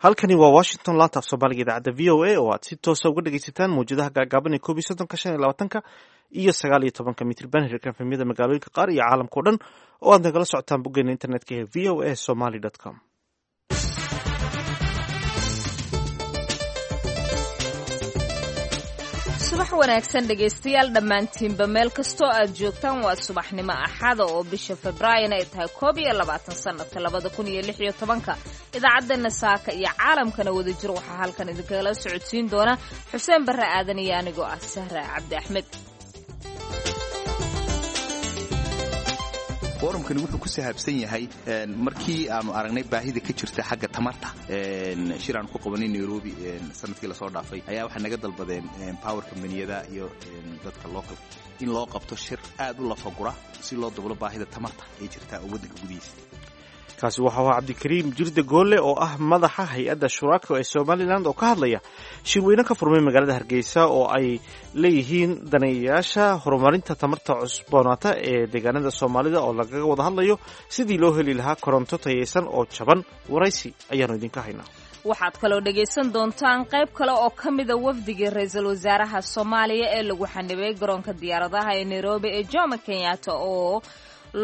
Halkani waa Washington, laanta af Soomaaliga idaacadda VOA oo aad si toosa uga dhegaysataan mawjadaha gaagaaban ee 31-ka, 25-ka iyo 19-ka mitriban, hirka FM-yada magaalooyinka qaar iyo caalamka o dhan oo aad nagala socotaan boggeena internetka ee voasomali.com. Subax wanaagsan dhegaystayaal dhammaantiinba, meel kastoo aad joogtaan. Waa subaxnimo Axada oo bisha Febraarina ay tahay 21 sanadka 2016-ka. Idaacaddeena saaka iyo caalamkana wadajir waxaa halkan idinkagala socodsiin doona Xuseen Barre Aadan iyo anigoo ah Sahra Cabdi Axmed. Forumkani wuxuu ku sahaabsan yahay markii aanu aragnay baahida ka jirta xagga tamarta. Shir aanu ku qabanay Nairobi sanadkii lasoo dhaafay ayaa waxay naga dalbadeen power combaniyada iyo dadka local in loo qabto shir aad u lafagura si loo dablo baahida tamarta ee jirta oo waddanka gudihiisa. Kaasi waxau ahaa Cabdikariim Jirde Goolle oo ah madaxa hay-adda Shuraako ee Somalilan oo ka hadlaya shirweyne ka furmay magaalada Hargeysa oo ay leeyihiin daneeyayaasha horumarinta tamarta cusboonaata ee deegaanada Soomaalida, oo lagaga wada hadlayo sidii loo heli lahaa koronto tayaysan oo jaban. Waraysi ayaanu idinka haynaa. Waxaad kaloo dhegaysan doontaan qayb kale oo ka mida wafdigii ra-iisul wasaaraha Soomaaliya ee lagu xanibay garoonka diyaaradaha ee Nairobi ee Jomo Kenyatta, oo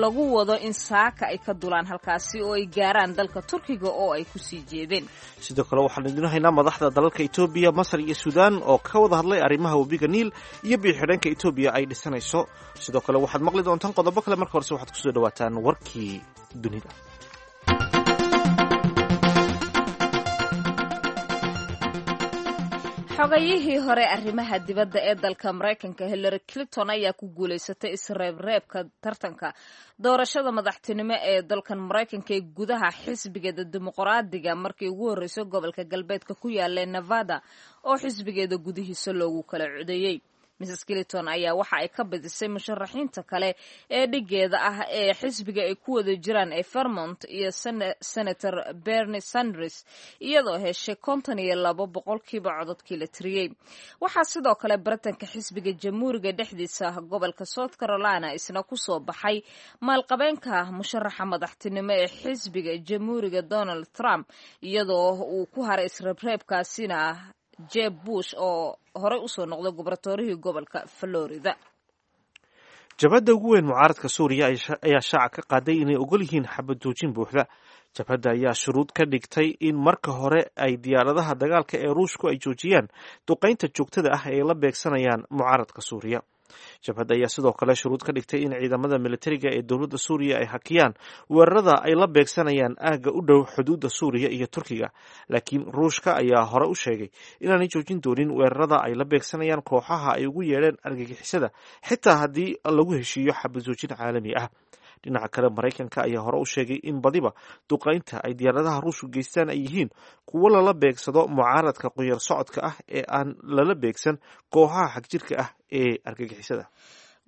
lagu wado in saaka ay ka dulaan halkaasi oo ay gaaraan dalka Turkiga oo ay kusii jeedeen. Sidoo kale waxaan idin haynaa madaxda dalalka Etoobiya, Masar iyo Suudaan oo ka wada hadlay arrimaha webiga Niil iyo biyo-xidheenka Etoobiya ay dhisanayso. Sidoo kale waxaad maqli doontaan qodobo kale. Marka horese waxaad kusoo dhawaataan warkii dunida. Xogayihii hore arrimaha dibadda ee dalka Maraykanka Hillary Clinton ayaa ku guulaysatay isreebreebka tartanka doorashada madaxtinimo ee dalkan Maraykanka ee gudaha xisbigeeda Dimuqraadiga, markii ugu horreysay gobolka galbeedka ku yaala Nevada oo xisbigeeda gudihiisa loogu kala codeeyey. Mrs Clinton ayaa waxa ay ka badisay musharaxiinta kale ee dhigeeda ah ee xisbiga ay ku wada jiraan ee Vermont iyo Senator Bernie Sanders, iyadoo heshay 52% cododkii la tiriyey. Waxaa sidoo kale baritanka xisbiga Jamhuuriga dhexdiisa gobolka South Carolina isna kusoo baxay maalqabeenka musharaxa madaxtinimo ee xisbiga Jamhuuriga Donald Trump, iyadoo uu ku haray isreebreebkaasina Jeb Bush oo horey usoo noqday gubernatorihii gobolka Florida. Jabhadda ugu weyn mucaaradka Suuriya ayaa shaaca ka qaaday inay ogol yihiin xabad joojin buuxda. Jabhadda ayaa shuruud ka dhigtay in marka hore ay diyaaradaha dagaalka ee Ruushku ay joojiyaan duqaynta joogtada ah ee la beegsanayaan mucaaradka Suuriya. Jabhadda ayaa sidoo kale shuruud ka dhigtay in ciidamada militariga ee dowladda Suuriya ay hakiyaan weerarada ay la beegsanayaan aagga u dhow xuduudda Suuriya iyo Turkiga. Laakiin Ruushka ayaa hore u sheegay inaanay joojin doonin weerarada ay la beegsanayaan kooxaha ay ugu yeedheen argagixisada, xitaa haddii lagu heshiiyo xabad joojin caalami ah. Dhinaca kale, Maraykanka ayaa hore u sheegay in badiba duqaynta ay diyaaradaha Ruushku geystaan ay yihiin kuwo lala beegsado mucaaradka qoyar socodka ah ee aan lala beegsan kooxaha xagjirka ah ee argagixisada.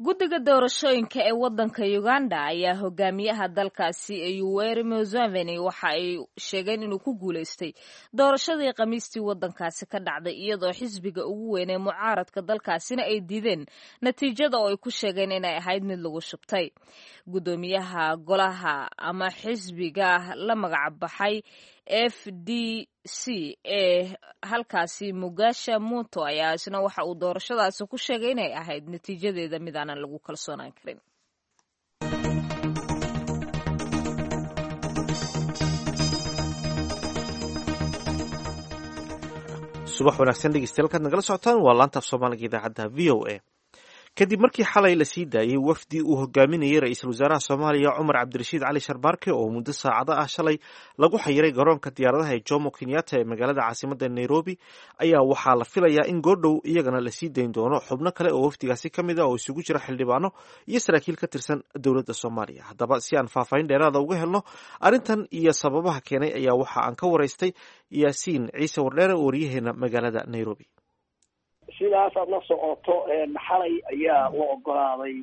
Guddiga doorashooyinka ee waddanka Uganda ayaa hogaamiyaha dalkaasi ee Yoweri Museveni waxa ay sheegeen inuu ku guulaystay doorashadii Khamiistii waddankaasi ka dhacday, iyadoo xisbiga ugu weyn ee mucaaradka dalkaasina ay diideen natiijada oo ay ku sheegeen inay ahayd mid lagu shubtay. Guddoomiyaha golaha ama xisbiga la magac baxay FDC ee halkaasi Mugasha Muto ayaa isna waxa uu doorashadaasi ku sheegay inay ahayd natiijadeeda mid aanan lagu kalsoonaan karin. Subax wanaagsan dhegeystayaal, kaad nagala socotaan waa laanta af Soomaaliga idaacadda VOA. Kadib markii xalay la sii daayey wafdi uu hogaaminayay ra-iisul wasaaraha Soomaaliya Cumar Cabdirashiid Cali Sharbaarke oo muddo saacado ah shalay lagu xayiray garoonka diyaaradaha ee Jomo Kenyatta ee magaalada caasimadda Nairobi, ayaa waxaa la filayaa in goordhow iyagana lasii dayn doono xubno kale oo wafdigaasi ka mid ah oo isugu jira xildhibaano iyo saraakiil ka tirsan dowladda Soomaaliya. Haddaba, si aan faahfaahin dheeraada uga helno arrintan iyo sababaha keenay, ayaa waxa aan ka waraystay Yaasiin Ciise Wardheere oo wariyaheena magaalada Nairobi. Sidaas aad la socoto, xalay ayaa la ogolaaday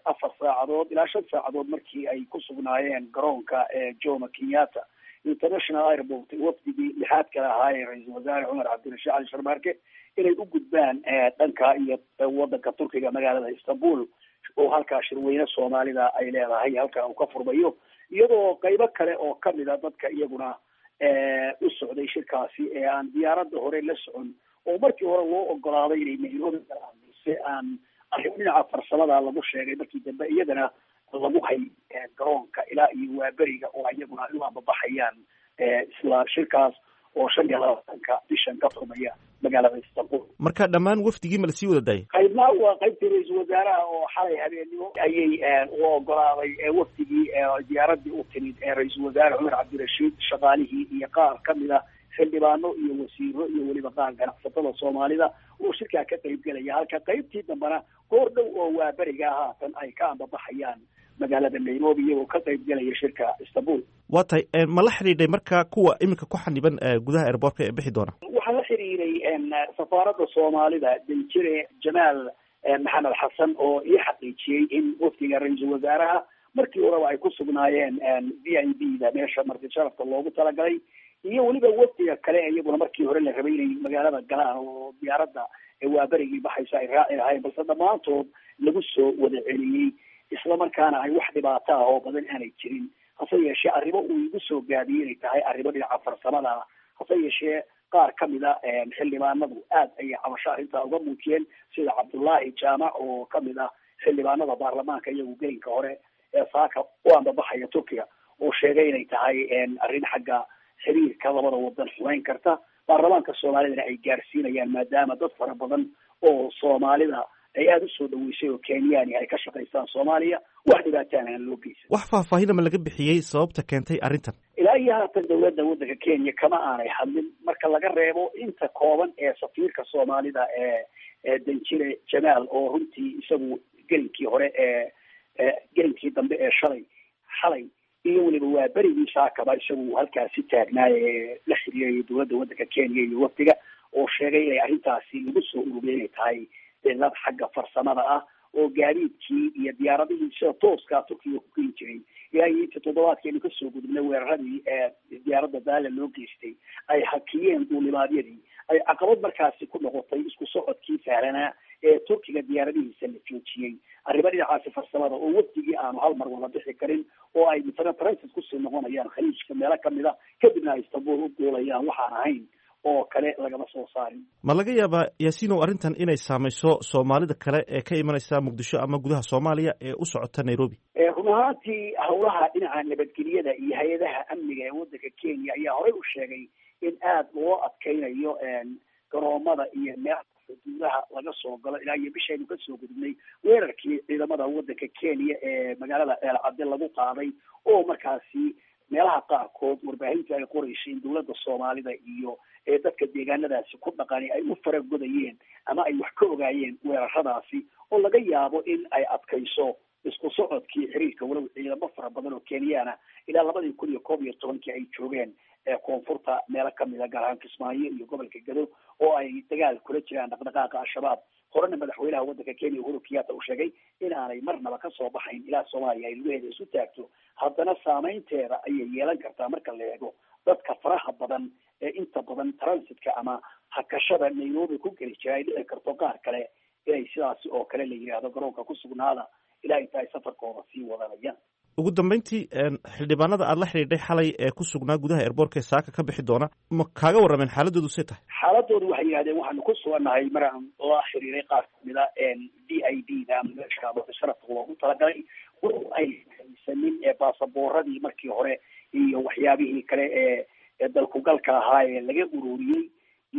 4 saacadood ilaa 5 saacadood markii ay ku sugnaayeen garoonka Jomo Kenyatta International Airport wafdigii lixaad kale ahaa ee ra-iisul wasaare Cumar Cabdirashiid Cali Sharmaarke inay u gudbaan dhanka iyo wadanka Turkiga, magaalada Istanbul, oo halkaa shirweyne Soomaalida ay leedahay halkaa uu ka furmayo, iyadoo qaybo kale oo kamid a dadka iyaguna u socday shirkaasi ee aan diyaaradda hore la socon oo markii hore loo ogolaaday inay Nairobi galaan, balse aan arrimo dhinaca farsamada lagu sheegay markii dambe iyadana lagu hay garoonka ilaa iyo waaberiga oo iyaguna ay u ambabaxayaan isla shirkaas oo 25-ka bishan ka furmaya magaalada Istanbul. Marka dhammaan wafdigii ma lasii wada daayay? Qaybna waa qaybtii ra-iisul wasaaraha oo xalay habeennimo ayay u ogolaaday wafdigii diyaaradii u timid ra-iisul wasaare Cumar Cabdirashiid, shaqaalihii iyo qaar kamid a xildhibaano iyo wasiiro iyo weliba qaar ganacsatada Soomaalida oo shirkaa ka qaybgelaya, halka qaybtii dambena goor dhow oo waaberiga haatan ay ka ambabaxayaan magaalada Nairobi iyagoo ka qaybgelaya shirka Istanbul. Waa tahay, ma la xidhiidhay marka kuwa iminka ku xaniban gudaha airboortka ee bixi doona? Waxaa la xiriiray safaaradda Soomaalida danjire Jamaal Maxamed Xasan oo ii xaqiijiyey in wafdiga ra-iisul wasaaraha markii horeba ay ku sugnaayeen VIP da meesha marti sharafka loogu talagalay, iyo weliba wafdiga kale iyaguna markii hore la rabay inay magaalada galaan oo diyaaradda waaberigii baxaysa ay raaci lahayn, balse dhammaantood lagu soo wada celiyey isla markaana ay wax dhibaato ah oo badan aanay jirin. Hase yeeshee arrimo uu igu soo gaabiyey inay tahay arrimo dhinaca farsamada ah. Hase yeeshee qaar kamid a xildhibaanadu aad ayay cabasho arrintaa uga muujiyeen, sida Cabdullaahi Jaamac oo kamid ah xildhibaanada baarlamaanka iyagu gelinka hore ee saaka u ambabaxaya Turkiga, oo sheegay inay tahay arrin xagga xiriirka labada wadan xumeyn karta, baarlamaanka Soomaalidana ay gaarsiinayaan maadaama dad fara badan oo Soomaalida ay aada usoo dhaweysay oo Kenyaani ay ka shaqaystaan Soomaaliya, wax dhibaataan aan loo geysan. Wax faahfaahina ma laga bixiyey sababta keentay arrintan? Ilaa iyo haatan dowladda waddanka Kenya kama aanay hadlin, marka laga reebo inta kooban ee safiirka Soomaalida ee danjire Jamaal oo runtii isagu gelinkii hore ee gelinkii dambe ee shalay xalay iyo weliba waa berigii saakaba isagu halkaasi taagnaa ee la xiriirayay dowladda waddanka Kenya iyo wafdiga, oo sheegay inay arrintaasi lagu soo ururiyay inay tahay cilad xagga farsamada ah oo gaadiidkii iyo diyaaradihii sida tooskaa Turkiga ku keeni jiray ilaa iyo inta toddobaadkeenu kasoo gudubnay weeraradii ee diyaaradda Daala loo geystay ay hakiyeen duulimaadyadii, ay caqabad markaasi ku noqotay isku socodkii sahlanaa ee Turkiga diyaaradihiisa la joojiyey. Arrimo dhinacaasi farsamada oo wafdigii aanu hal mar wada bixi karin oo ay misana transit kusii noqonayaan khaliijka meelo kamid a, kadibna ay Istanbul u duulayaan, waxaan ahayn oo kale lagama soo saarin. Ma laga yaabaa Yaasiinow arrintan inay saamayso Soomaalida kale ee ka imanaysa Muqdisho ama gudaha Soomaaliya ee u socota Nairobi? Run ahaantii howlaha dhinaca nabadgelyada iyo hay-adaha amniga ee waddanka Kenya ayaa horey u sheegay in aada loo adkeynayo garoomada iyo meelaha xuduudaha laga soo galo ilaa iyo bishaynu kasoo gudubnay weerarkii ciidamada waddanka Kenya ee magaalada Ceelcadde lagu qaaday, oo markaasi meelaha qaarkood warbaahinta ay qoreysay in dowladda Soomaalida iyo ee dadka deegaanadaasi ku dhaqani ay u faragodayeen ama ay wax ka ogaayeen weeraradaasi, oo laga yaabo in ay adkayso isku socodkii xiriirka, walow ciidamo fara badan oo Kenyaana ilaa 2011-kii ay joogeen koonfurta meelo kamid a, gaar ahaan Kismaayo iyo gobolka Gado, oo ay dagaal kula jiraan dhaqdhaqaaqa Al-Shabaab. Horena madaxweynaha waddanka Kenya Uhuru Kenyatta uu sheegay in aanay marnaba kasoo baxayn ilaa Soomaaliya ay lugaheeda isu taagto. Haddana saameynteeda ayay yeelan kartaa marka la eego dadka faraha badan ee inta badan transitka ama hakashada Nairobi ku geli jira, ay dhici karto qaar kale inay sidaasi oo kale la yidhaahdo garoonka ku sugnaada ilaa inta ay safarkooda sii wadanayaan. Ugu dambeyntii, xildhibaanada aada la xidhiidhay xalay ee ku sugnaa gudaha airboortka ee saaka ka bixi doona, ma kaaga warrameen xaaladoodu see tahay? Xaaladoodu waxay yidhahdeen waxaanu ku sugannahay maraan la xiriiray qaar kamid a VIP da ama meesha sharafka loogu talagalay, walow ay haysanin baasabooradii markii hore iyo waxyaabihii kale ee dalkugalka ahaa ee laga ururiyey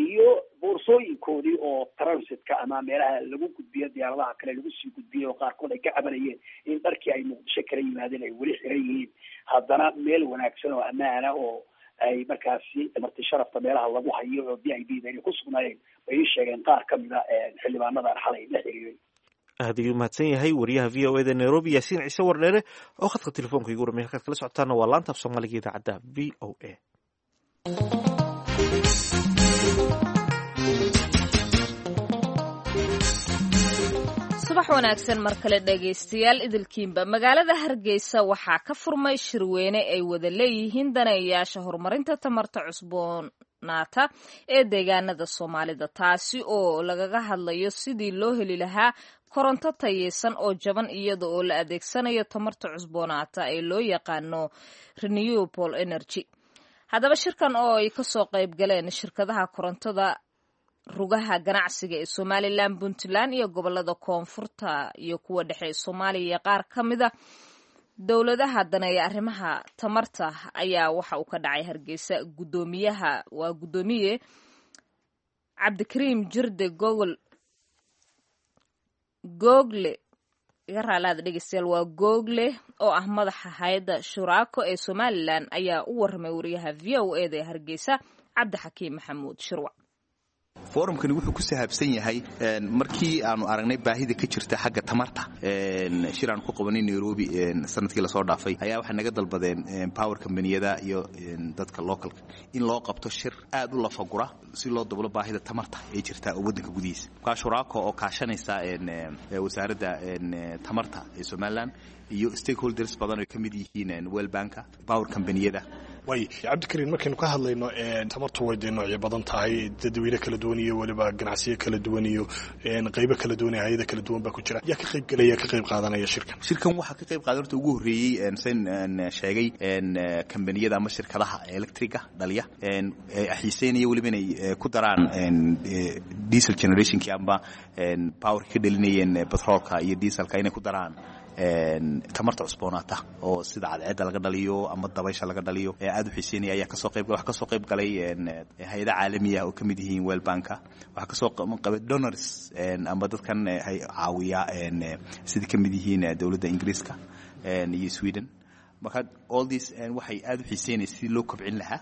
iyo boorsooyinkoodii oo transitka ama meelaha lagu gudbiyo diyaaradaha kale lagu sii gudbiyey, oo qaarkood ay ka cabanayeen in dharkii ay Muqdisho kala yimaadeen ay weli xiran yihiin. Haddana meel wanaagsan oo ammaana oo ay markaasi marti sharafta meelaha lagu hayo oo VIP da inay ku sugnaayeen bay ii sheegeen qaar kamid a xildhibaanadan xalay la xiriiray. Aad ayuu mahadsan yahay wariyaha VOA da Nairobi Yaasiin Ciise Wardheere oo khadka telefoonka igu warmay. Halkaad kala socotaana waa laanta af Soomaaliga idaacadda VOA. Subax wanaagsan mar kale dhegaystayaal idilkiinba. Magaalada Hargeysa waxaa ka furmay shirweyne ay wada leeyihiin daneeyayaasha horumarinta tamarta cusboonaata ee deegaanada Soomaalida, taasi oo lagaga hadlayo sidii loo heli lahaa koronto tayeysan oo jaban iyada oo la adeegsanayo tamarta cusboonaata ee loo yaqaano renewable energy. Haddaba shirkan oo ay kasoo qayb galeen shirkadaha korontada, rugaha ganacsiga ee Somalilan, Puntland iyo gobolada koonfurta iyo kuwa dhexe ee Soomaaliya iyo qaar ka mida dowladaha daneeya arrimaha tamarta ayaa waxa uu ka dhacay Hargeysa. Gudoomiyaha waa guddoomiye Cabdikariim Jirde Gogol Google, iga raalaada dhegeystayaal, waa Google, oo ah madaxa hay-adda Shuraako ee Somalilan ayaa u warramay wariyaha VOA da ee Hargeysa, Cabdixakiim Maxamuud Shirwac. Forumkani wuxuu ku sahaabsan yahay markii aanu aragnay baahida ka jirta xagga tamarta. Shir aanu ku qabanay Nairobi sanadkii lasoo dhaafay ayaa waxay naga dalbadeen power companiyada iyo dadka localka in loo qabto shir aad u lafagura si loo dablo baahida tamarta ee jirta oo waddanka gudihiisa. Markaa Shuraako oo kaashanaysa wasaaradda tamarta ee Somaliland iyo stakeholders badan oo ka mid yihiin World Banka, power companiyada. Way, Cabdikariin, markaynu ka hadlayno tamartu way dee noocyo badan tahay, dadweyne kala duwan iyo weliba ganacsiyo kala duwan iyo qaybo kala duwan iyo hay-ada kala duwan baa ku jira. Yaa ka qayb gelaya, ka qayb qaadanaya shirkan? Shirkan waxaa ka qayb qaadan horta ugu horreeyey, sen sheegay, kambaniyada ama shirkadaha electriga dhaliya xiiseynaya weliba inay ku daraan diesel generationkii amba powerka ka dhalinayeen petroolka iyo dieselka inay ku daraan tamarta cusboonaata oo sida cadceedda laga dhaliyo ama dabaysha laga dhaliyo ee aad u xiiseynaya ayaa kasoo qayb. Waxaa kasoo qayb galay hay-ada caalamiya oo ka mid yihiin World Banka. Waxaa kasoo qabay donors amba dadkan caawiya, sida ka mid yihiin dowladda Ingiriiska iyo Sweden. Marka all this waxay aad u xiiseynaya sidii loo kobcin lahaa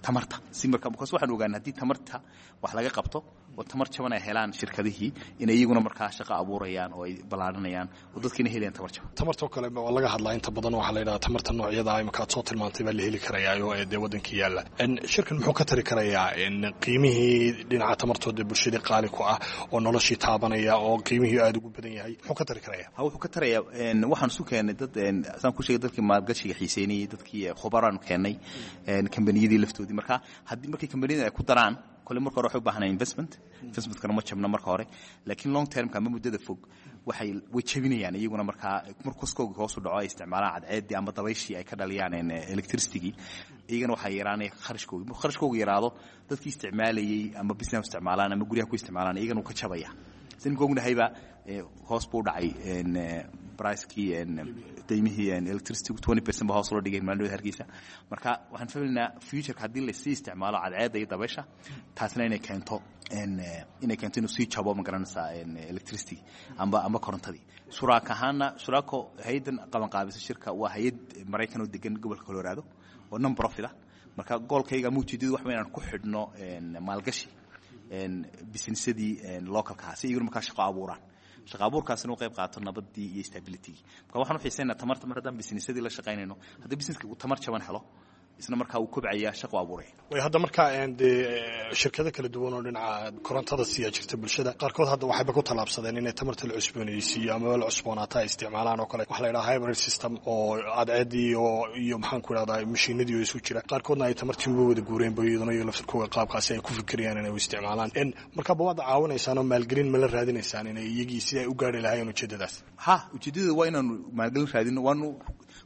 tamarta si marka, because waxaan ogaanay haddii tamarta wax laga qabto oo tamar jaban ay helaan shirkadihii, inay iyaguna markaa shaqo abuurayaan oo ay ballaaranayaan oo dadkiina helayaan tamar jaban. Tamartoo kale waa laga hadlaa inta badan. Waxaa la yidhaha tamarta noocyada imika aad soo tilmaantay baa la heli karayaa oo dee waddankii yaalla. Shirkan muxuu ka tari karayaa qiimihii dhinaca tamartooda bulshadii qaali ku ah oo noloshii taabanaya oo qiimihii aada ugu badan yahay? Muxuu ka tari karayaa? Ha, wuxuu ka tarayaa, waxaan isu keennay dad, saan ku sheegay, dadkii maalgashiga xiiseynayay, dadkii khubaraanu keennay, kambaniyadii laftoodii. Marka haddii markii kambaniyada ay ku daraan kole, marka hore waxay u baahanaa investment, investmentkana ma jabna marka hore, laakiin long termka ama muddada fog waxay way jabinayaan iyaguna. Markaa mar koskooga hoos u dhaco ay isticmaalaan cadceeddii ama dabayshii ay ka dhaliyaan electricitygii, iyagana waxaa yaraanaya kharashkoogi. Markuu kharashkooga yaraado, dadkii isticmaalayey ama business isticmaalaan ama guryaha ku isticmaalaan, iyagana wuu ka jabaya. Sida imika ognahayba, hoos buu dhacay pricekii, qiimihii electricity 20% ba hoos loo dhigay maalin Hargeysa. Marka waxaan filaynaa futureka haddii lasii isticmaalo cadceedda iyo dabaysha, taasna inay keento inuu sii jabo, ma garanaysaa, electricity amba korontadii. Shuraak ahaana, Shuraako hay-addan qabanqaabisa shirka waa hay-ad Maraykan oo degan gobolka Colorado oo non profit ah. Marka goalkayga ama ujeedadu wax inaan ku xidhno maalgashi businessadii localka si iyaguna markaa shaqo abuuraan, shaqa abuurkaasina u qayb qaato nabadii iyo stabilitygii. Marka waxaan u xiiseynaa tamarta mar haddaan businessadii la shaqaynayno, haddii businesska uu tamar jaban helo, isna markaa uu kobcaya, shaqo abuuraya. Way, hadda markaa dee shirkado kala duwan oo dhinaca korontada siiya jirta bulshada, qaarkood hadda waxayba ku tallaabsadeen inay tamarta la cusboonaysiiyo ama la cusboonaata ay isticmaalaan oo kale, waxa la yidhaha hybrid system oo cadceedii iyo maxaan ku idhahdaa mashiinadii oo isu jira. Qaarkoodna ay tamartii uga wada guureen ba iyaduna iyo laftirkooga qaabkaasi ay ku fikirayaan inay u isticmaalaan. Marka ba waad caawinaysaan oo maalgelin ma la raadinaysaan inay iyagii si ay u gaari lahaayeen ujeeddadaas? Ha, ujeeddada waa inaanu maalgelin raadino. Waanu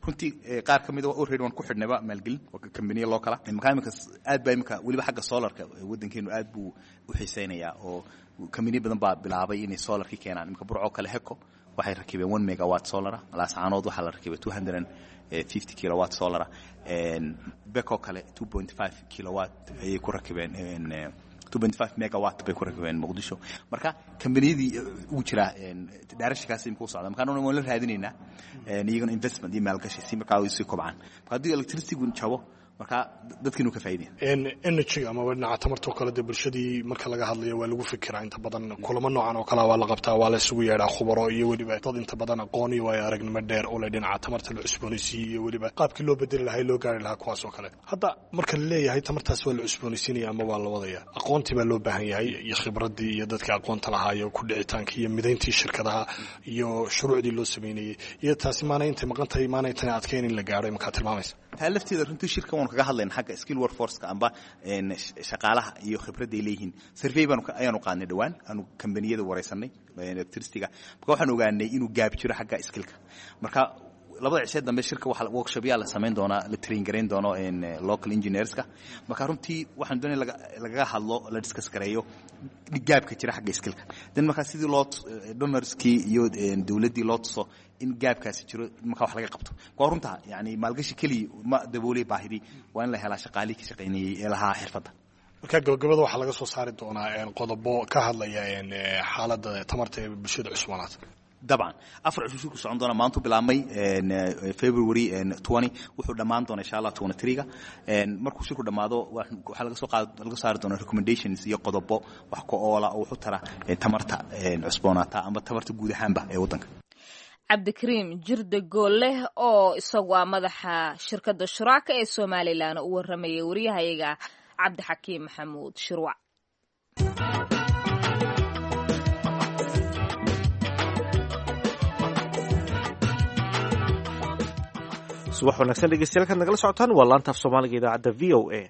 runtii qaar ka mid a already waan ku xidhnayba maalgelin waa kambaniya loo kala. Markaa imika aad baa imika weliba xagga solarka waddankeenu aad buu u xiiseynayaa oo kambaniya badan baa bilaabay inay solarkii keenaan. Imika Burco kale Heko waxay rakibeen 1 megawatt solara. Laascaanood waxaa la rakibay 250 kilowatt solara. Beko kale 2.5 kilowatt ayay ku rakibeen, 2.5 megawatt bay ku rakibeen Muqdisho. Marka kambaniyadii ugu jiraa daarashikaas imika u socda. Marka waan la raadinaynaa iyagana investment iyo maalgashi si markaa ay sii kobcaan. Marka haddii electricity jabo, marka dadkiinu ka faa'iidaya. Energy amaba dhinaca tamartoo kale dee bulshadii marka laga hadlayo waa lagu fikiraa inta badan. Kulamo noocan oo kalea waa la qabtaa, waa la isugu yeedhaa khubaro iyo weliba dad inta badan aqoon iyo waayo aragnimo dheer u leh dhinaca tamarta la cusboonaysiiyey iyo weliba qaabkii loo bedeli lahaa, loo gaari lahaa kuwaas oo kale. Hadda marka la leeyahay tamartaas waa la cusboonaysiinaya ama waa la wadaya, aqoontii baa loo baahan yahay iyo khibraddii iyo dadka aqoonta lahaa iyo ku dhicitaanka iyo midayntii shirkadaha iyo shuruucdii loo sameynayey iyo taasi maana intay maqan tahay, maana intay adkeyn in la gaaro imankaa tilmaamaysa? Taa lafteeda runtii shirkan waanu kaga hadlayna xagga skill workforceka amba shaqaalaha iyo khibradday leeyihiin. Survey baanu ayaanu qaadnay dhowaan, aanu kambaniyada wareysanay electricityga. Marka waxaan ogaanay inuu gaab jiro xagga skillka. Marka Labada cishee dambe shirka waxa workshopyaa la samayn doonaa, la train garayn doono local engineerska. Marka runtii waxaan doonaya lagaga hadlo, la discuss gareeyo gaabka jira xagga skillka. Then markaa sidii loo donorskii iyo dowladdii loo tuso in gaabkaasi jiro, markaa wax laga qabto. Waa runta, yani maalgashi keliya ma daboolay baahidii, waa in la helaa shaqaalihii ka shaqaynayay ee lahaa xirfadda. Marka gabagabada waxaa laga soo saari doonaa qodobo ka hadlaya xaaladda tamarta ee bulshada cusboonaata. Dabcan, 4 cusub shirku socon doona. Maantu bilaabmay February 20, wuxuu dhammaan doona insha Allah 23ga. Markuu shirku dhammaado waxaa laga soo qaad laga saari doona recommendations iyo qodobo wax ku oola oo wuxuu tara tamarta cusboonaata ama tamarta guud ahaanba ee waddanka. Cabdikariim Jirde Goolleh oo isagu ah madaxa shirkadda Shuraaka ee Somalilan u warramayay wariyahayaga Cabdixakiim Maxamuud Shirwac. Subax wanaagsan dhegeystayaal, kaad nagala socotaan waa laanta af Soomaaliga idaacadda VOA.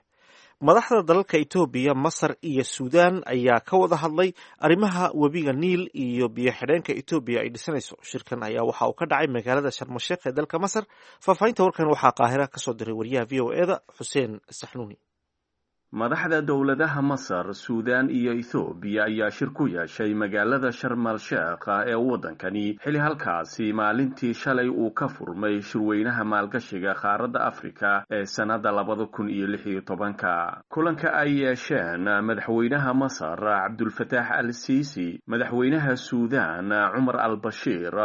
Madaxda dalalka Etoobiya, Masar iyo Suudaan ayaa ka wada hadlay arrimaha webiga Niil iyo biyo xidheenka Etoobiya ay dhisanayso. Shirkan ayaa waxa uu ka dhacay magaalada Sharmasheekh ee dalka Masar. Faahfaahinta warkan waxaa Qaahira kasoo diray wariyaha VOA da Xuseen Saxnuuni. Madaxda dowladaha Masar, Suudaan iyo Ethoobiya ayaa shir ku yeeshay magaalada Sharmal Sheekha ee waddankani, xili halkaasi maalintii shalay uu ka furmay shirweynaha maalgashiga qaaradda Afrika ee sannadda 2016-ka. Kulanka ay yeesheen madaxweynaha Masar Cabdulfataax al Siisi, madaxweynaha Suudaan Cumar al Bashiir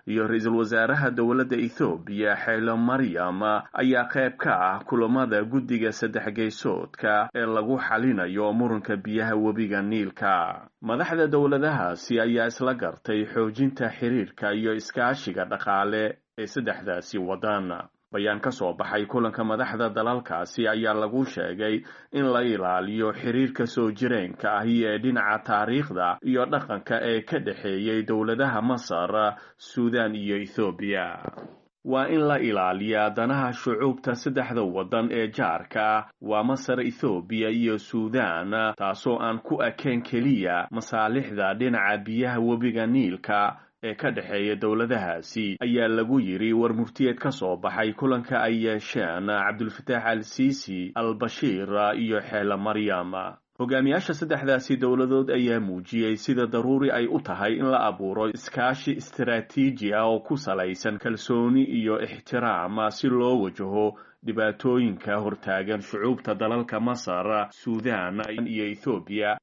iyo ra-iisul wasaaraha dowladda Ethoobiya Xeelo Maryam ayaa qayb ka ah kulamada guddiga saddex geysoodka ee lagu xalinayo muranka biyaha webiga Niilka. Madaxda dowladahaasi ayaa isla gartay xoojinta xiriirka iyo iskaashiga dhaqaale ee saddexdaasi waddan. Bayaan ka soo baxay kulanka madaxda dalalkaasi ayaa lagu sheegay in la ilaaliyo xiriirka soo jireenka ahi ee dhinaca taariikhda iyo dhaqanka ee ka dhexeeyey dowladaha Masar, Suudaan iyo Ethoobiya. Waa in la ilaaliyaa danaha shucuubta saddexda waddan ee jaarka, waa Masar, Ethoobiya iyo Suudaan, taasoo aan ku ekeen keliya masaalixda dhinaca biyaha webiga Niilka ee ka dhexeeya dowladahaasi, ayaa lagu yidhi war murtiyeed ka soo baxay kulanka ay yeesheen Cabdulfataax al Siisi, al Bashiir iyo Xeele Maryam. Hogaamiyaasha saddexdaasi dowladood ayaa muujiyey sida daruuri ay u tahay in la abuuro iskaashi istaraatiiji ah oo ku salaysan kalsooni iyo ixtiraam si loo wajaho dhibaatooyinka hortaagan shucuubta dalalka Masar, Suudaan iyo Ethoobiya.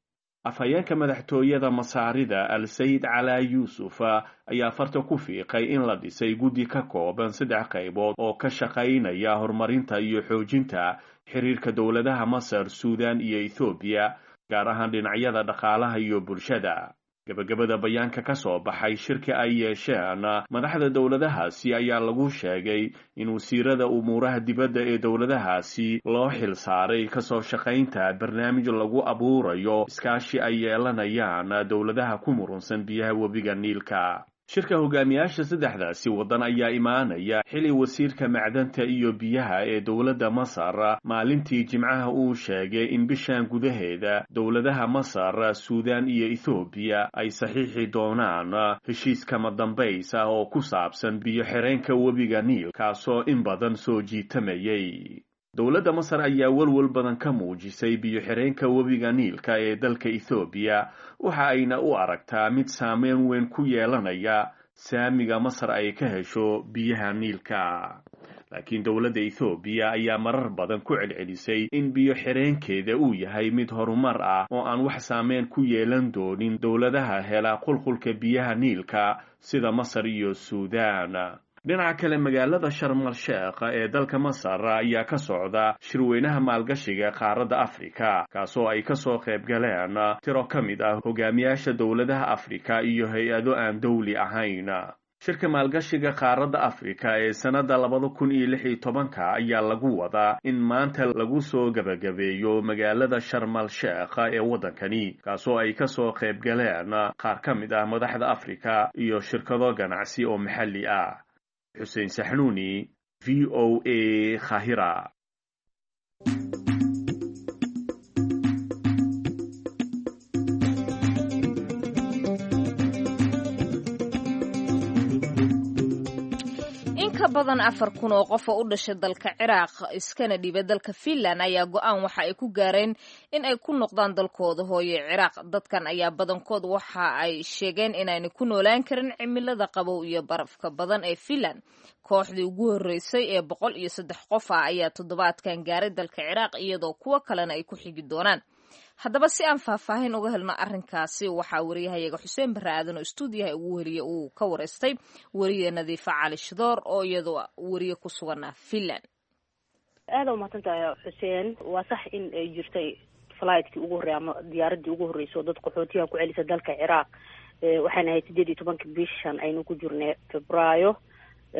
Afhayeenka madaxtooyada Masaarida Al Sayid Calaa Yuusuf ayaa farta ku fiiqay in la dhisay guddi ka kooban saddex qaybood oo ka shaqaynaya horumarinta iyo xoojinta xiriirka dowladaha Masar, Suudaan iyo Ethoobiya, gaar ahaan dhinacyada dhaqaalaha iyo bulshada. Gabagabada bayaanka ka soo baxay shirka ay yeesheen madaxda dowladahaasi ayaa lagu sheegay in wasiirada umuuraha dibadda ee dowladahaasi loo xil saaray kasoo shaqaynta barnaamij lagu abuurayo iskaashi ay yeelanayaan dowladaha ku murunsan biyaha webiga Niilka. Shirka hogaamiyaasha saddexdaasi waddan ayaa imaanaya xili wasiirka macdanta iyo biyaha ee dowladda Masar maalintii Jimcaha uu sheegay in bishan gudaheeda dowladaha Masar, Suudaan iyo Ethoobiya ay saxiixi doonaan heshiis kama dambays ah oo ku saabsan biyo xireenka webiga Niil, kaasoo in badan soo jiitamayay. Dowladda Masar ayaa walwal badan ka muujisay biyo xireenka webiga Niilka ee dalka Ethoobiya, waxa ayna u aragtaa mid saameyn weyn ku yeelanaya saamiga Masar ay ka hesho biyaha Niilka. Laakiin dowladda Ethoobiya ayaa marar badan ku celcelisay in biyo xireenkeeda uu yahay mid horumar ah oo aan wax saameyn ku yeelan doonin dowladaha hela qulqulka biyaha Niilka sida Masar iyo Suudaan. Dhinaca kale, magaalada Sharmal Sheekh ee dalka Masar ayaa ka socda shirweynaha maalgashiga qaaradda Afrika, kaasoo ay kasoo qayb galeen tiro ka mid ah hogaamiyaasha dowladaha Afrika iyo hay-ado aan dowli ahayn. Shirka maalgashiga qaaradda Afrika ee sannadda 2016-ka ayaa lagu wadaa in maanta lagu soo gabagabeeyo magaalada Sharmal Sheekh ee waddankani, kaasoo ay kasoo qayb galeen qaar ka mid ah madaxda Afrika iyo shirkado ganacsi oo maxalli ah. Xuseen Saxnuuni, VOA, Khahira. In In ka badan 4000 oo qof oo u dhashay dalka Ciraaq iskana dhiibay dalka Finland ayaa go-aan waxa ay ku gaareen in ay ku noqdaan dalkooda hooye Ciraaq. Dadkan ayaa badankood waxa ay sheegeen inaanay ku noolaan karin cimilada qabow iyo barafka badan ee Finland. Kooxdii ugu horreysay ee 103 qof ah ayaa toddobaadkan gaaray dalka Ciraaq, iyadoo kuwo kalena ay ku xigi doonaan. Haddaba, si aan faahfaahin uga helno arrinkaasi, waxaa wariyahayaga Xuseen Barre Aadan oo istuudiyaha ugu weliye uu ka wareystay weriye Nadiifa Cali Shidoor oo iyadoo weriye ku sugan Finland. Aada umahadsan tahay, Xuseen. Waa sax in ay jirtay flightkii ugu horreey ama diyaaradii ugu horreysay oo dad qaxootiyaha ku celisa dalka Ciraaq. Waxayna ahayd 18-ka bishan aynu ku jirnay, Febraayo,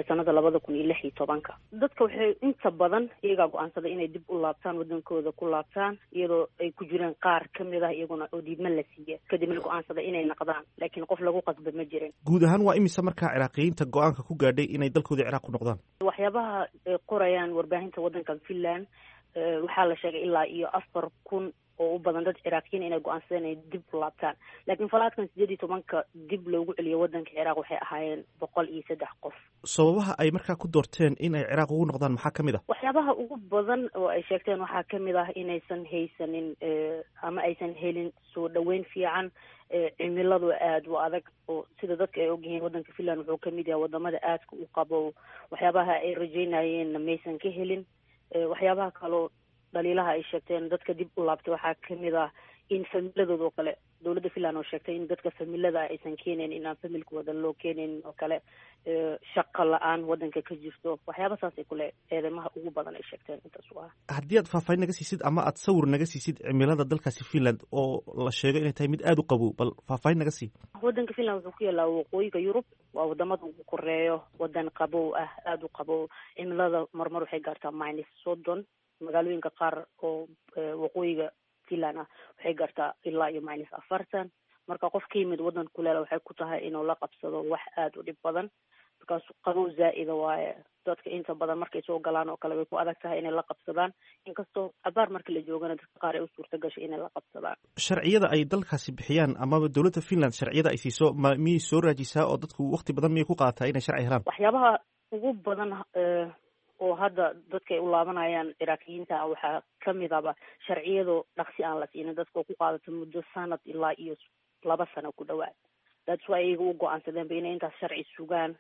sanada 2016-ka. Dadka waxay inta badan iyagaa go-aansaday inay dib u laabtaan, wadankooda ku laabtaan, iyadoo ay ku jireen qaar kamid ah iyaguna oo diidma la siiya, kadibna go-aansaday inay naqdaan, laakiin qof lagu qasba ma jirin. Guud ahaan waa imise markaa Ciraaqiyiinta go-aanka ku gaadhay inay dalkooda Ciraaq ku noqdaan? Waxyaabaha ay qorayaan warbaahinta waddankan Finland, waxaa la sheegay ilaa iyo 4000 oo u badan dad Ciraaqiyiin inay go-aansadeen inay dib u laabtaan, laakiin flight-kan 18-ka dib loogu celiyo waddanka Ciraaq waxay ahaayeen 103 qof. Sababaha ay markaa ku doorteen in ay Ciraaq ugu noqdaan maxaa ka mid ah? Waxyaabaha ugu badan oo ay sheegteen waxaa kamid ah inaysan haysanin ama aysan helin soo dhaweyn fiican, cimiladu aada u adag, oo sida dadka ay ogyihiin waddanka Finland wuxuu kamid yahay wadamada aadka u qabow. Waxyaabaha ay rajeynayeenna maysan ka helin. Waxyaabaha kaloo dhaliilaha ay sheegteen dadka dib u laabtay waxaa kamid ah in familadooda oo kale, dowladda Finland oo sheegtay in dadka familada aysan keenayn, in aan familkooda loo keenayn oo kale, shaqo la-aan waddanka ka jirto, waxyaaba saasay kule eedeymaha ugu badan ay sheegteen intaas u ah. Haddii aad faahfaahin naga siisid ama aad sawir naga siisid cimilada dalkaasi Finland oo la sheego inay tahay mid aada u qabow, bal faahfaahin naga sii. Waddanka Finland wuxuu ku yaalaa waqooyiga Yurub, waa wadamada ugu koreeyo, wadan qabow ah, aada u qabow. Cimilada marmar waxay gaartaa -30. Magaalooyinka qaar oo waqooyiga Finland ah waxay gaartaa ilaa iyo -40. Marka qof ka yimid waddan kuleela waxay ku tahay inuu la qabsado wax aada u dhib badan, because qabow zaa'ida waaye. Dadka inta badan markay soo galaan oo kale way ku adag tahay inay la qabsadaan, inkastoo cabaar marka la joogana dadka qaar ay u suurta gashay inay la qabsadaan. Sharciyada ay dalkaasi bixiyaan amaba dowladda Finland sharciyada ay siiso ma miyay soo raajisaa, oo dadku waqti badan miyay ku qaadataa inay sharci helaan? Waxyaabaha ugu badan oo hadda dadka ay u laabanayaan Ciraaqiyiinta waxaa kamid aba sharciyado dhaqsi aan la siinin dadka, oo ku qaadato muddo sanad ilaa iyo 2 sano ku dhawaad. That's why iyaga u go-aansadeenba inay intaas sharci sugaan,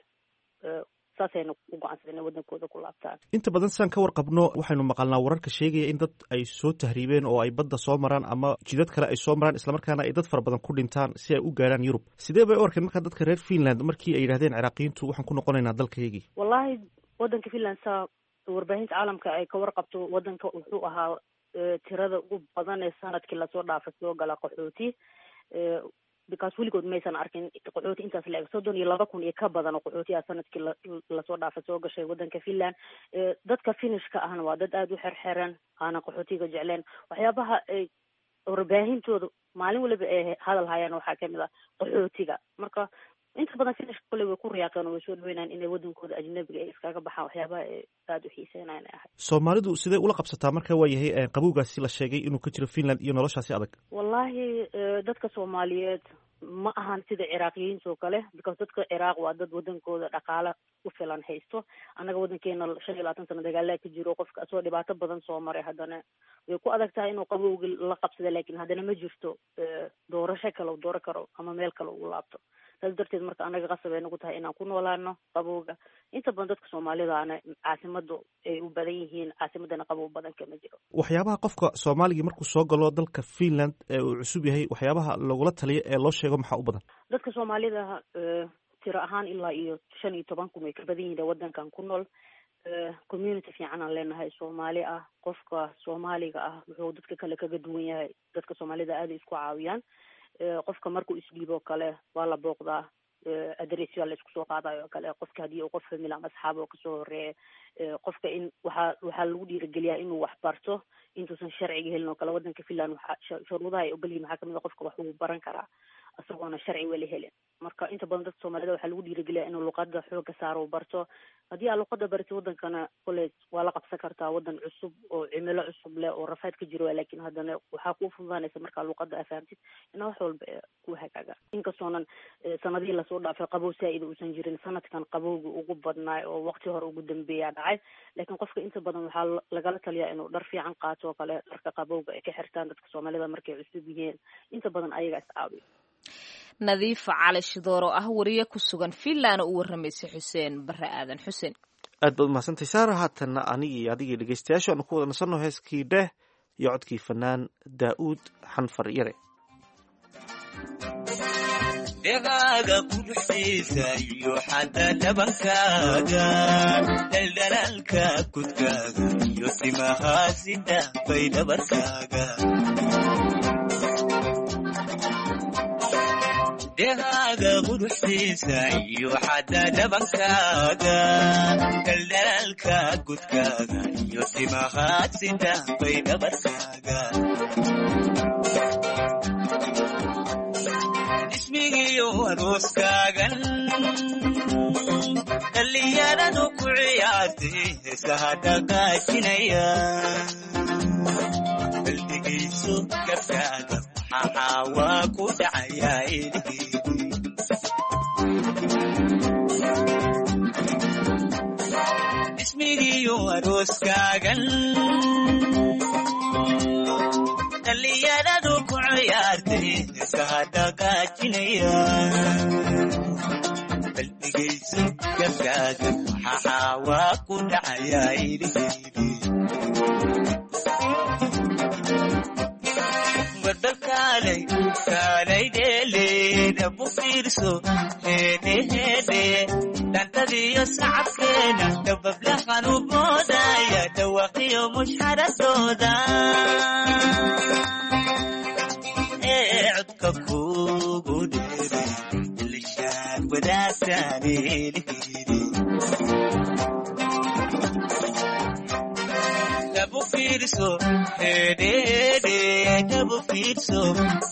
saasayna u go-aansadeen inay waddankooda ku laabtaan. Inta badan sidaan ka warqabno, waxaynu maqalnaa wararka sheegaya in dad ay soo tahriibeen oo ay badda soo maraan ama jidad kale ay soo maraan, islamarkaana ay dad fara badan ku dhintaan si ay u gaarhaan Yurub. Sidee bay u arkeen markaa dadka reer Finland markii ay yidhahdeen Ciraaqiyiintu waxaan ku noqonaynaa dalkaygii? Wallahi, waddanka Finland, saa warbaahinta caalamka ay ka warqabto, waddanka wuxuu ahaa tirada ugu badan ee sanadkii lasoo dhaafay soo gala qaxooti, because weligood maysan arkin qaxooti intaas la eg. 32,000 iyo ka badan oo qaxootiyaa sanadkii lasoo dhaafay soo gashay waddanka Finland. Dadka Finishka ahna waa dad aada u xerxeran, aanan qaxootiga jecleen. Waxyaabaha ay warbaahintooda maalin waliba ay hadal hayaan waxaa kamid ah qaxootiga. Marka inta badan Finishka kole way ku riyaaqeen oo way soo dhaweynayaan inay waddankooda ajnabiga ay iskaga baxaan, waxyaabaha ay aada u xiiseynayan ay ahay. Soomaalidu sidee ula qabsataa marka waa yahay qabowgaasi la sheegay inuu ka jiro Finland iyo noloshaasi adag? Wallahi, dadka Soomaaliyeed ma ahan sida Ciraaqiyiinta oo kale, because dadka Ciraaq waa dad wadankooda dhaqaale ku filan haysto. Annaga waddankeena 25 sano dagaalaa ka jiro. Qofka asoo dhibaato badan soo maray haddana way ku adag tahay inuu qabowgi la qabsada, laakiin haddana ma jirto doorasho kale u dooro karo ama meel kale uu laabto. Saas darteed marka annaga qasab ay nagu tahay inaan ku noolaano qabowga. Inta badan dadka Soomaalidaana caasimadu ay u badan yihiin, caasimadana qabow badan kama jiro. Waxyaabaha qofka Soomaaligii markuu soo galo dalka Finland ee uu cusub yahay, waxyaabaha lagula taliyo ee loo sheego maxaa u badan? Dadka Soomaalida tiro ahaan ilaa iyo 15,000 way ka badan yihiin waddankan ku nool. Community fiican aan leenahay Soomaali ah. Qofka Soomaaliga ah wuxuu dadka kale kaga duwan yahay, dadka Soomaalida aaday isku caawiyaan. Qofka markuu isdhiiboo kale waa la booqdaa, adresyaa la isku soo qaadayo oo kale. Qofka haddii uu qof family ama asxaab oo kasoo horeeya, qofka in waxaa lagu dhiirigeliyaa inuu wax barto intuusan sharciga helin oo kale. Waddanka Finland waxaa shuruudaha ay ogol yihin waxaa kamid a qofka wax uu baran karaa. Isagoona sharci weli helin. Marka inta badan dadka Soomaalida waxaa lagu dhiirigeliyaa inuu luqada xooga saaro, barto. Haddii aad luqada baratid, wadankana koley waa la qabsan kartaa. Wadan cusub oo cimilo cusub leh oo rafaad ka jiro, laakiin haddana waxaa kuu fududaanaysa markaa luqada aa fahamtid inaa wax walba ku hagaaga. Inkastoonan sanadihii lasoo dhaafay qabow saa-ida uusan jirin, sanadkan qabowga ugu badnaay oo waqti hore ugu dambeeyaa dhacay, laakiin qofka inta badan waxaa lagala taliyaa inuu dhar fiican qaato oo kale, dharka qabowga ay ka xirtaan dadka Soomaalida markay cusub yihiin. Inta badan ayaga is caawiyo. Nadiifa Cali Shidoor oo ah wariye ku sugan Finland oo u warramaysay Xuseen Bare Aadan. Xuseen, Aad baad umahadsantay, Saara. Haatanna anigii adigii dhegeystayaashu aanu ku wada nasanno heeskii Dheh iyo codkii fanaan Daa'uud Xanfar Yare. Dhegaaga quruxdiisa iyo xadda dhabankaaga, dhaldhalaalka kudkaaga iyo timahaasi dhaafay dhabarkaaga. Dhegaaga quruxdiisa iyo xadda dhabankaaga, dhaldhalaalka kudkaaga iyo timahaasi dhaafay dhabarkaaga. Ismigiyo arooskaagan dhallinyaradu ku ciyaartay, heesaha dhaqaajinaya, baldhigayso gabkaaga, maxaa waa ku dhacayaa ilgeedi. Ismigiyo arooskaagan dhallinyaradu ku ciyaartay, heesaha dhaqaajinaya, baldhigayso gabkaaga, maxaa waa ku dhacayaa ilgeedi. Warbal kaalay kaalay dheele, dhabu fiirso, heedhe heedhe, dhantadiyo sacabkeena, dhabablahan u moodaya dhawaqiyo mushxaradooda ee codka kugu dheeray ilishaad wadaagtaan eligeedi. Dhabu fiirso, hedhehedhe, dhabu fiirso,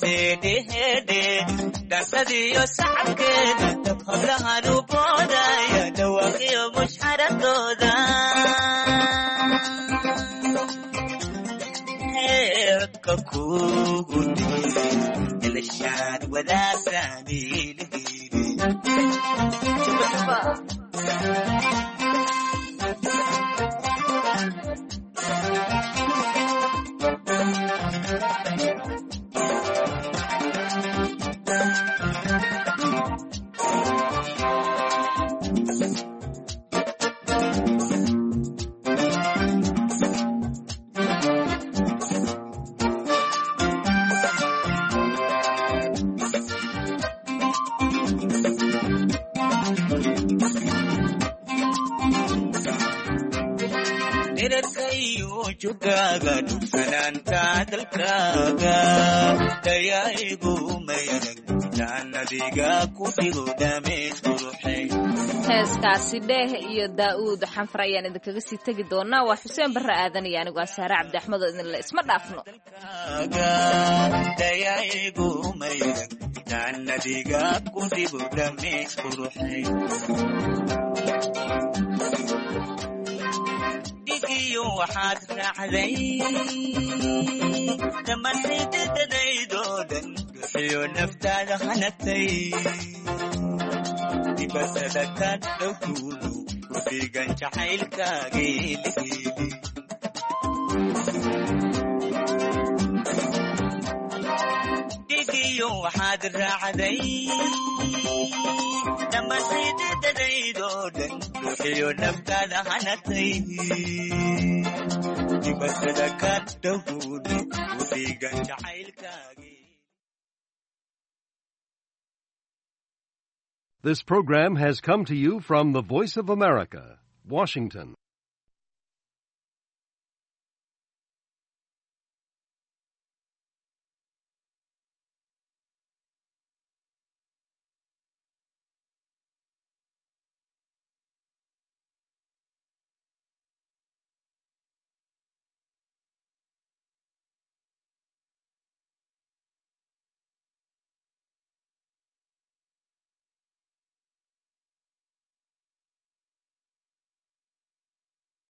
hedhehedhe, dhantadiyo sacabkeeda, dab hablahan u boodaya dhawaqiyo mushxaradooda ee codka kugu dheeray ilishaad wadaagtaan eligeedi. Dherarkayo jogaaga, dhugsanaanta dalkaaga, dayaigu mayarag taanadiga ku dhigo dhameys quruxay. Heeskaasi Dheeh iyo Daa'uud Xanfar ayaan idinkaga sii tegi doonaa. Waa Xuseen Barre Aadan iyo anigu aa Saare Cabdi Axmed oo idinle isma dhaafno. Dayaigu mayarag taanadiga ku dhigo dhameys quruxay. Dhigiyo waxaad raacday dhammaan xididadaydoo dhan, bixiyo naftaada hanatay, dibadada ka dhowtuulu ku dhigan jacaylkaagii ligeedi. Dhigiyo waxaad raacday dhammaan xididadaydoo dhan, bixiyo naftaada hanatay, dibadada ka dhowtuulu ku dhigan jacaylkaagii. This program has come to you from the Voice of America, Washington.